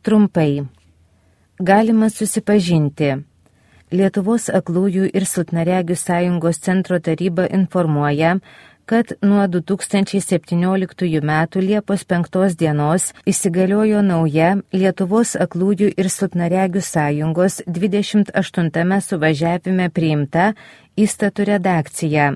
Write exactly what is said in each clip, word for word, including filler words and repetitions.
Trumpai. Galima susipažinti. Lietuvos aklųjų ir silpnaregių sąjungos centro taryba informuoja, kad nuo du tūkstančiai septynioliktųjų metų Liepos penktos dienos įsigaliojo nauja Lietuvos aklųjų ir silpnaregių sąjungos dvidešimt aštuntame suvažiavime priimta įstatų redakcija.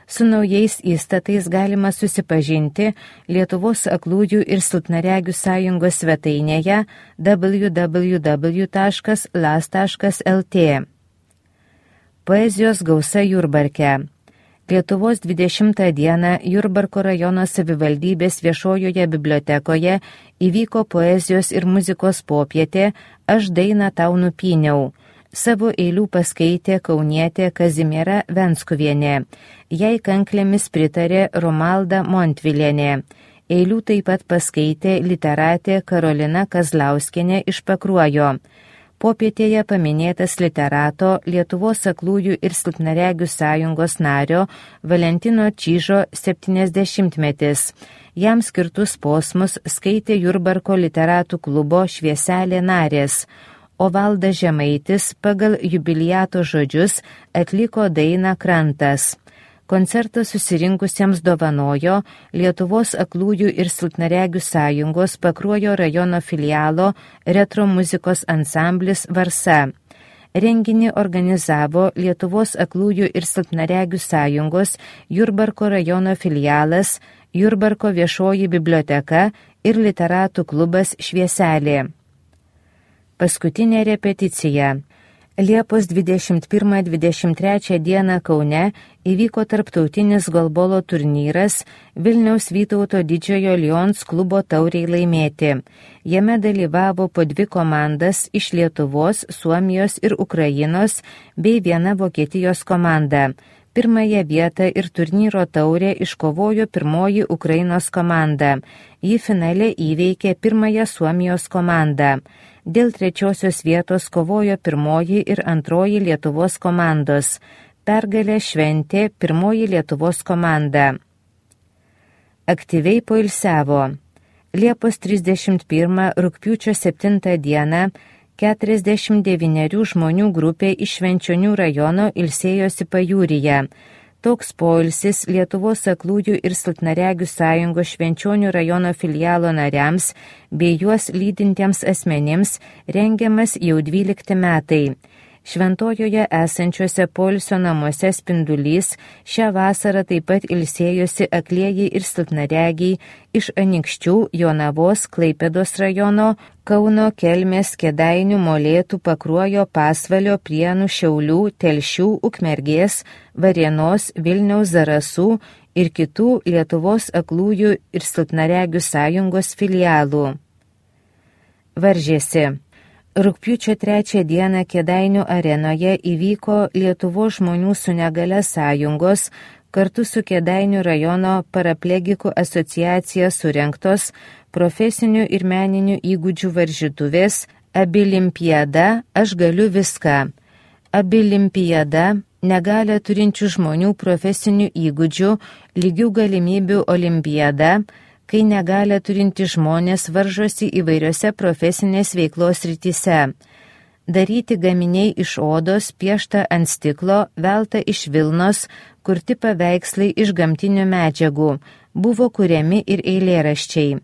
Su naujais įstatais galima susipažinti Lietuvos aklųjų ir silpnaregių sąjungos svetainėje w w w taškas l a s taškas l t. Poezijos gausa Jurbarke. Lietuvos dvidešimtą dieną Jurbarko rajono savivaldybės viešojoje bibliotekoje įvyko poezijos ir muzikos popietė Aš dainą tau nupyniau. Savo eilių paskaitė kaunietė Kazimiera Venskuvienė. Jai kanklėmis pritarė Romalda Montvilienė. Eilių taip pat paskaitė literatė Karolina Kazlauskienė iš Pakruojo. Popietėje paminėtas literato Lietuvos aklųjų ir silpnaregių sąjungos nario Valentino Čyžo septyniasdešimtmetis. Jam skirtus posmus skaitė Jurbarko literatų klubo Švieselė narės, o Valdas Žemaitis pagal jubiliato žodžius atliko dainą Krantas. Koncertą susirinkusiems dovanojo Lietuvos aklųjų ir silpnaregių sąjungos Pakruojo rajono filialo retro muzikos ansamblis Varsa. Renginį organizavo Lietuvos aklųjų ir silpnaregių sąjungos Jurbarko rajono filialas, Jurbarko viešoji biblioteka ir literatų klubas Švieselė. Paskutinė repeticija. Liepos dvidešimt pirmą dvidešimt trečią dieną Kaune įvyko tarptautinis golbolo turnyras Vilniaus Vytauto Didžiojo Lions klubo tauriai laimėti. Jame dalyvavo po dvi komandas iš Lietuvos, Suomijos ir Ukrainos bei viena Vokietijos komanda. Pirmąją vietą ir turnyro taurę iškovojo pirmoji Ukrainos komanda. Ji finale įveikė pirmąją Suomijos komandą. Dėl trečiosios vietos kovojo pirmoji ir antroji Lietuvos komandos. Pergalę šventė pirmoji Lietuvos komanda. Aktyviai poilsiavo. Liepos trisdešimt pirmą rugpjūčio septintą dieną keturiasdešimt devynerių žmonių grupė iš Švenčionių rajono ilsėjosi pajūryje. Toks poilsis Lietuvos aklųjų ir silpnaregių sąjungos Švenčionių rajono filialo nariams bei juos lydintiems asmenims rengiamas jau dvylikti metai. Šventojoje esančiuose poilsio namuose Spindulys šią vasarą taip pat ilsėjosi aklieji ir silpnaregiai iš Anykščių, Jonavos, Klaipėdos rajono, Kauno, Kelmės, Kėdainių, Molėtų, Pakruojo, Pasvalio, Prienų, Šiaulių, Telšių, Ukmergės, Varėnos, Vilniaus, Zarasų ir kitų Lietuvos aklųjų ir silpnaregių sąjungos filialų. Varžėsi. Rugpjūčio trečią dieną Kėdainių arenoje įvyko Lietuvos žmonių su negale sąjungos kartu su Kėdainių rajono paraplegikų asociacija surengtos profesinių ir meninių įgūdžių varžytuvės Abilimpiada Aš galiu viską. Abilimpiada negalią turinčių žmonių profesinių įgūdžių lygių galimybių olimpiada, kai negalią turinti žmonės varžosi įvairiose profesinės veiklos rytise. Daryti gaminiai iš odos, piešta ant stiklo, velta iš vilnos, kurti paveikslai iš gamtinių medžiagų, buvo kuriami ir eilėraščiai.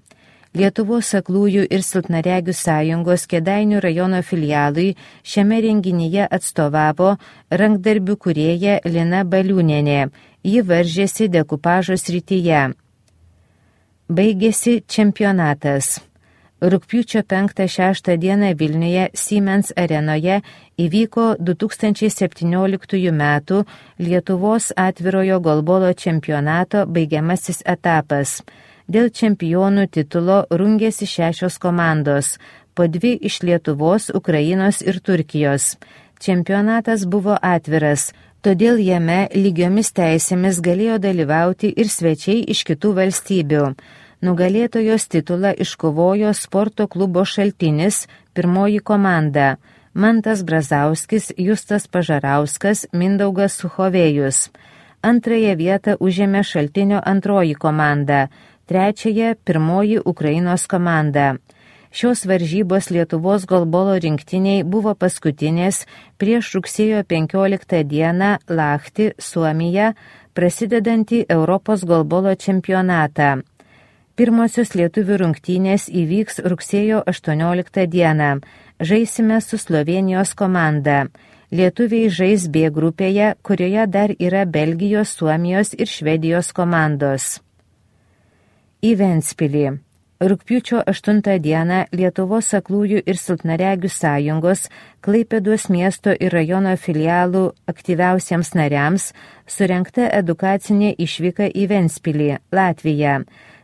Lietuvos aklųjų ir silpnaregių sąjungos Kėdainių rajono filialui šiame renginyje atstovavo rankdarbių kūrėja Lina Baliūnienė. Ji varžėsi dekupažo srityje. Baigėsi čempionatas. Rugpjūčio penktą šeštą dieną Vilniuje Siemens arenoje įvyko du tūkstančiai septynioliktųjų metų Lietuvos atvirojo golbolo čempionato baigiamasis etapas. Dėl čempionų titulo rungėsi šešios komandos, po dvi iš Lietuvos, Ukrainos ir Turkijos. Čempionatas buvo atviras, todėl jame lygiomis teisėmis galėjo dalyvauti ir svečiai iš kitų valstybių. Nugalėtojos titulą iškovojo sporto klubo Šaltinis, pirmoji komanda – Mantas Brazauskis, Justas Pažarauskas, Mindaugas Suchovėjus. Antrąją vietą užėmė Šaltinio antroji komanda, trečiąją pirmoji Ukrainos komanda. Šios varžybos Lietuvos golbolo rinktiniai buvo paskutinės prieš rugsėjo penkioliktą dieną Lahti, Suomija, prasidedantį Europos golbolo čempionatą. Pirmosios lietuvių rungtynės įvyks rugsėjo aštuonioliktą dieną. Žaisime su Slovėnijos komanda. Lietuviai žais B grupėje, kurioje dar yra Belgijos, Suomijos ir Švedijos komandos. Į Ventspilį. Rugpjūčio aštuntą dieną Lietuvos aklųjų ir silpnaregių sąjungos Klaipėdos miesto ir rajono filialų aktyviausiems nariams surengta edukacinė išvyka į Ventspilį, Latviją.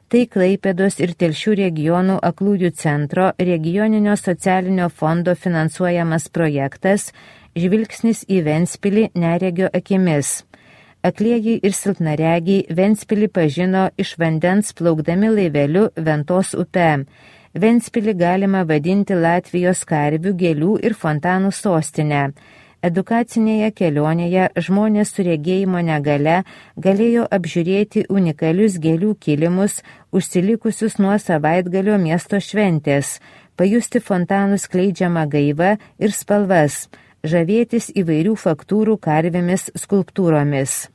Tai Klaipėdos ir Telšių regionų aklųjų centro regioninio socialinio fondo finansuojamas projektas Žvilgsnis į Ventspilį neregio akimis. Aklieji ir silpnaregiai Ventspilį pažino iš vandens plaukdami laiveliu Ventos upe. Ventspilį galima vadinti Latvijos karvių, gėlių ir fontanų sostinę. Edukacinėje kelionėje žmonės su regėjimo negale galėjo apžiūrėti unikalius gėlių kilimus, užsilikusius nuo savaitgalio miesto šventės, pajusti fontanų skleidžiamą gaivą ir spalvas, žavėtis įvairių faktūrų karvėmis skulptūromis.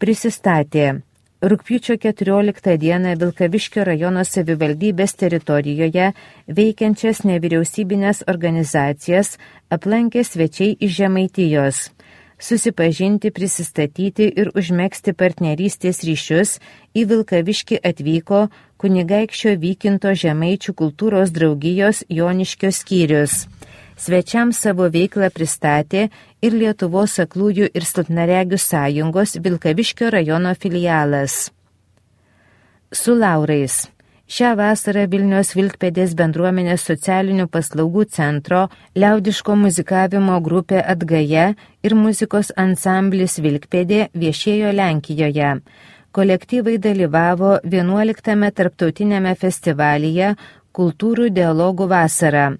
Prisistatė. Rugpjūčio keturioliktą dieną Vilkaviškio rajono savivaldybės teritorijoje veikiančias nevyriausybinės organizacijas aplankė svečiai iš Žemaitijos. Susipažinti, prisistatyti ir užmegzti partnerystės ryšius į Vilkaviškį atvyko kunigaikščio Vykinto Žemaičių kultūros draugijos Joniškio skyrius. Svečiams savo veiklą pristatė ir Lietuvos aklųjų ir silpnaregių sąjungos Vilkaviškio rajono filialas. Su laurais. Šią vasarą Vilniaus Vilkpėdės bendruomenės socialinių paslaugų centro liaudiško muzikavimo grupė Atgaja ir muzikos ansamblis Vilkpėdė viešėjo Lenkijoje. Kolektyvai dalyvavo vienuoliktame tarptautinėme festivalyje Kultūrų dialogų vasara.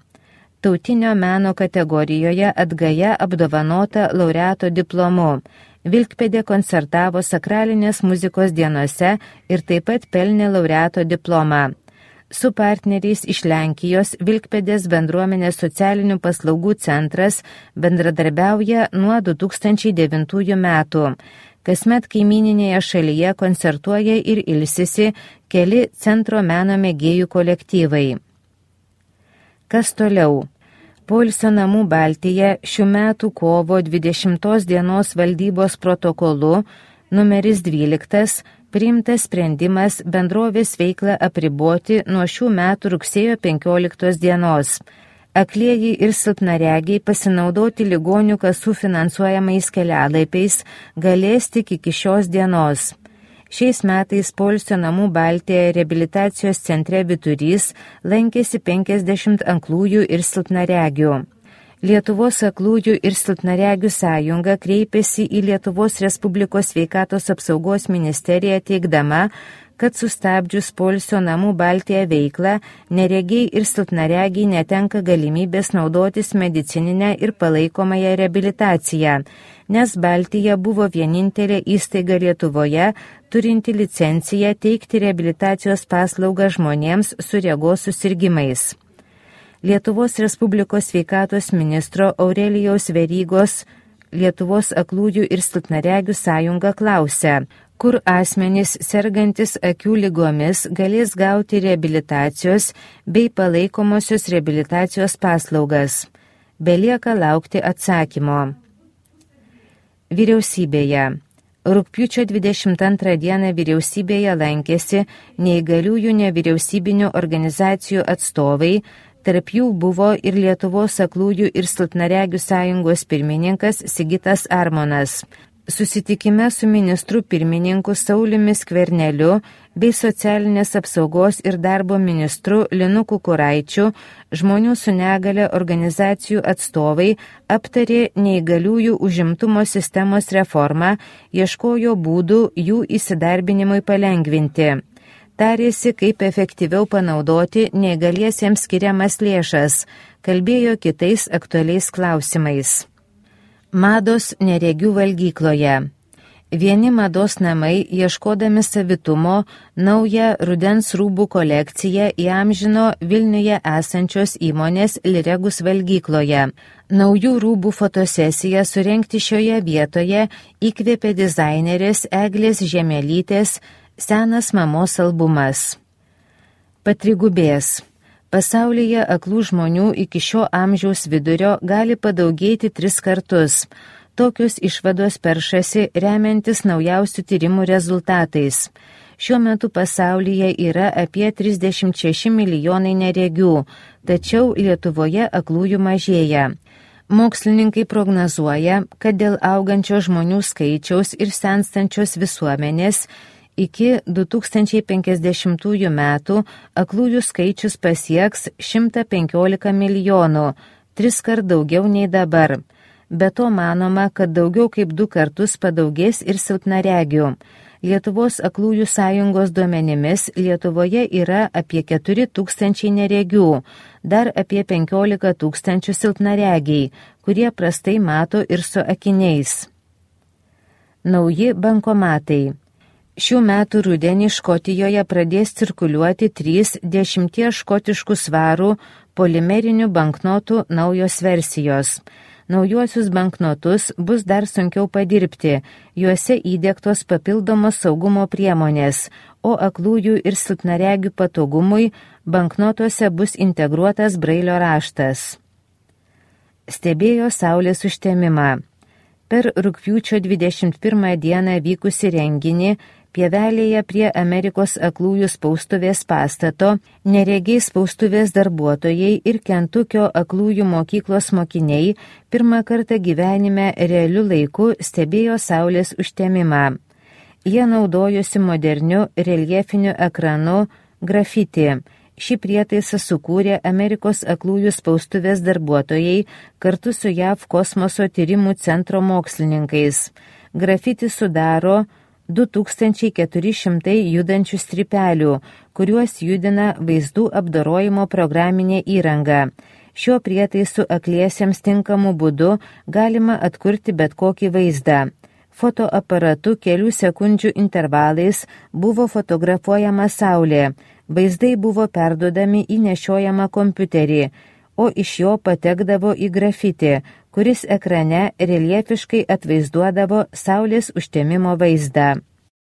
Tautinio meno kategorijoje Atgaja apdovanota laureato diplomu. Vilkpėdė koncertavo sakralinės muzikos dienose ir taip pat pelnė laureato diplomą. Su partneriais iš Lenkijos Vilkpėdės bendruomenės socialinių paslaugų centras bendradarbiauja nuo du tūkstančiai devintųjų metų. Kasmet kaimyninėje šalyje koncertuoja ir ilsisi keli centro meno mėgėjų kolektyvai. Kas toliau? Poilsio namų Baltija šių metų kovo dvidešimtos dienos valdybos protokolu numeris dvyliktas priimtas sprendimas bendrovės veiklą apriboti nuo šių metų rugsėjo penkioliktos dienos. Aklieji ir silpnaregiai pasinaudoti ligonių kasų finansuojamais kelialaipiais galės tik iki šios dienos. Šiais metais poilsio namų Baltija reabilitacijos centre Vyturys lankėsi penkiasdešimt aklųjų ir silpnaregių. Lietuvos aklųjų ir silpnaregių sąjunga kreipėsi į Lietuvos Respublikos sveikatos apsaugos ministeriją teigdama, kad sustabdžius poilsio namų Baltija veiklą, neregiai ir silpnaregiai netenka galimybės naudotis medicininę ir palaikomąją reabilitaciją, nes Baltija buvo vienintelė įstaiga Lietuvoje, turinti licenciją teikti reabilitacijos paslaugą žmonėms su regos susirgimais. Lietuvos Respublikos sveikatos ministro Aurelijaus Verygos Lietuvos aklųjų ir silpnaregių sąjunga klausia, kur asmenys sergantis akių ligomis galės gauti reabilitacijos bei palaikomosios reabilitacijos paslaugas. Belieka laukti atsakymo. Vyriausybėje. Rugpjūčio dvidešimt antrą dieną vyriausybėje lankėsi neįgaliųjų nevyriausybinių organizacijų atstovai, tarp jų buvo ir Lietuvos aklųjų ir silpnaregių sąjungos pirmininkas Sigitas Armonas. Susitikime su ministru pirmininku Sauliumi Skverneliu bei socialinės apsaugos ir darbo ministru Linu Kukuraičiu žmonių su negale organizacijų atstovai aptarė neįgaliųjų užimtumo sistemos reformą, ieškojo būdų jų įsidarbinimui palengvinti. Tarėsi, kaip efektyviau panaudoti neįgaliesiems skiriamas lėšas, kalbėjo kitais aktualiais klausimais. Mados neregių valgykloje. Vieni mados namai, ieškodami savitumo, naują rudens rūbų kolekciją įamžino Vilniuje esančios įmonės Liregus valgykloje. Naujų rūbų fotosesiją surengti šioje vietoje įkvėpė dizainerės Eglės Žemelytės Senas mamos albumas. Patrigubės. Pasaulyje aklų žmonių iki šio amžiaus vidurio gali padaugėti tris kartus. Tokios išvados peršasi remiantis naujausių tyrimų rezultatais. Šiuo metu pasaulyje yra apie trisdešimt šeši milijonai neregių, tačiau Lietuvoje aklųjų mažėja. Mokslininkai prognozuoja, kad dėl augančio žmonių skaičiaus ir senstančios visuomenės iki du tūkstančiai penkiasdešimtųjų metų aklųjų skaičius pasieks šimtą penkiolika milijonų, tris kart daugiau nei dabar. Be to manoma, kad daugiau kaip du kartus padaugės ir silpnaregių. Lietuvos aklųjų sąjungos duomenimis Lietuvoje yra apie keturi tūkstančiai neregių, dar apie penkiolika tūkstančių silpnaregiai, kurie prastai mato ir su akiniais. Nauji bankomatai. Šių metų rudenį Škotijoje pradės cirkuliuoti trys dešimties škotiškų svarų polimerinių banknotų naujos versijos. Naujuosius banknotus bus dar sunkiau padirbti, juose įdiegtos papildomos saugumo priemonės, o aklųjų ir silpnaregių patogumui banknotuose bus integruotas brailio raštas. Stebėjo saulės užtemimą. Per rugpjūčio dvidešimt pirmą dieną vykusi renginį Pievelėje prie Amerikos aklųjų spaustuvės pastato neregiai spaustuvės darbuotojai ir Kentukio aklųjų mokyklos mokiniai pirmą kartą gyvenime realiu laiku stebėjo saulės užtemimą. Jie naudojosi moderniu reljefiniu ekranu grafiti. Šį prietaisą sukūrė Amerikos aklųjų spaustuvės darbuotojai kartu su J A V kosmoso tyrimų centro mokslininkais. Grafiti sudaro du tūkstančiai keturi šimtai judančių strypelių, kuriuos judina vaizdų apdorojimo programinė įranga. Šiuo prietaisu akliesiems tinkamu būdu galima atkurti bet kokį vaizdą. Fotoaparatu kelių sekundžių intervalais buvo fotografuojama saulė. Vaizdai buvo perduodami į nešiojamą kompiuterį, o iš jo patekdavo į grafitį, kuris ekrane reljefiškai atvaizduodavo saulės užtemimo vaizdą.